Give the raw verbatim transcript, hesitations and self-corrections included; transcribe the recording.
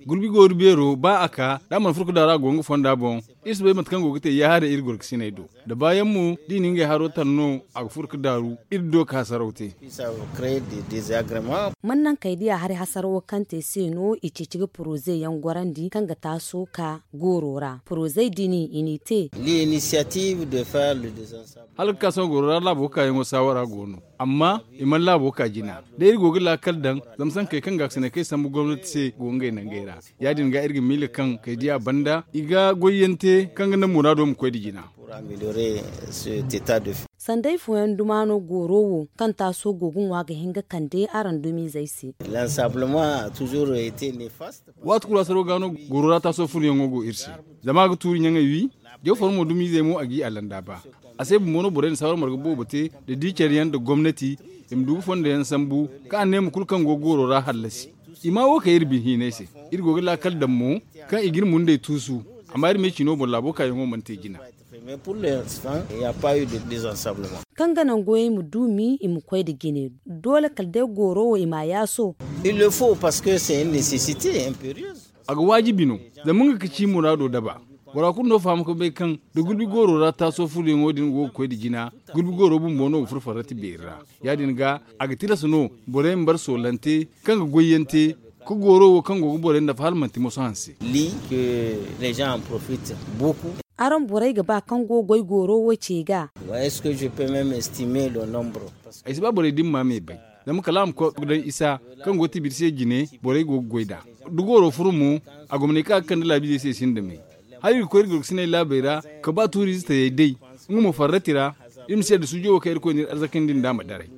Gulbi goori beero ba a ka da a mana furo ka daaru a go nga fonda boŋ. Iri si bay mate kaŋ go ga te ya-haray iri gorkasiney do. Da baayaŋ mo da i na ngey haro tan no, a ga furo ka daaru iri do ka hasaraw te. Man naŋ kay diya hari hasarawo kaŋ te se no i ceeci ga poroze yaŋ gorandi kaŋ ga taaso ka gooro ra porozey din i n'i te. Hala ga ka sohõ gooro ra laabo kaayaŋo saawara go no, amma i mana laabo ka jina. Da iri go ga laakal daŋ, zama sankey kaŋ gaakasiney kaŋ i sambu gomnati se go ngey nangey ra. Ya-din ga iri ga miila kaŋ kay diya banda i ga goyyaŋ te kaŋ ga naŋ muraado ma koy nda jina. Sanday fooyaŋ duma no gooro wo kaŋ taaso go ga ŋwa ga hin ga kande araŋ dumizey se. Waati kulu hasaro ga no gooro ra taaso furoyaŋo go iri se, zama a ga tuuri ɲaŋey wi. Jaw foro mo dumizey mo a g'i a landa ba. A se bumbo no borey na saawara marga boobo te, da di care yaŋ nda gomnati, i ma du ga fondo yaŋ sambu, kaŋ a ne ma kulu kaŋ go gooro ra hallasi. I ma wo kay iri bin hiinay se. Iri go ga laakal daŋ mo, kaŋ i ga iri mundey tuusu. Amma iri me cino boŋ laabo kaayaŋo mana te jina. Kaŋ ga naŋ goyey ma duumi i ma koy nda jine, doole kala day gooro wo i ma a yaaso. A ga waajibi no, zama nga ga ci muraado daba. Bora kulu no faham ga bay kaŋ da gulbi gooro ra taaso furoyaŋo din go ga koy nda jina, gulbi gooro bumbo no ga furo farrati beeri ra. Ya-din ga, a ga tilas no borey ma bare soolante kaŋ ga goyyaŋ te, ka gooro wo kaŋ go ga borey nafa hala manti moso hanse. Araŋ borey ga ba kaŋ go ga goy gooro wo ce ga? Ay si ba borey din ma me bay, zama kala a ma koy ga daŋ isa kaŋ go ga tibiri se jine, borey go ga goy nd'a. Da gooro furo mo, a gomney kaŋ a ga kande laabizey se sinda me. Hala iri ga koy iri gorkasiney laabey ra, ka ba tuuriize tayey day, nga mo farrati ra. Iri ma si yadda suujo wo kaŋ irkoy n'iri arzakandi nd'a ma daray.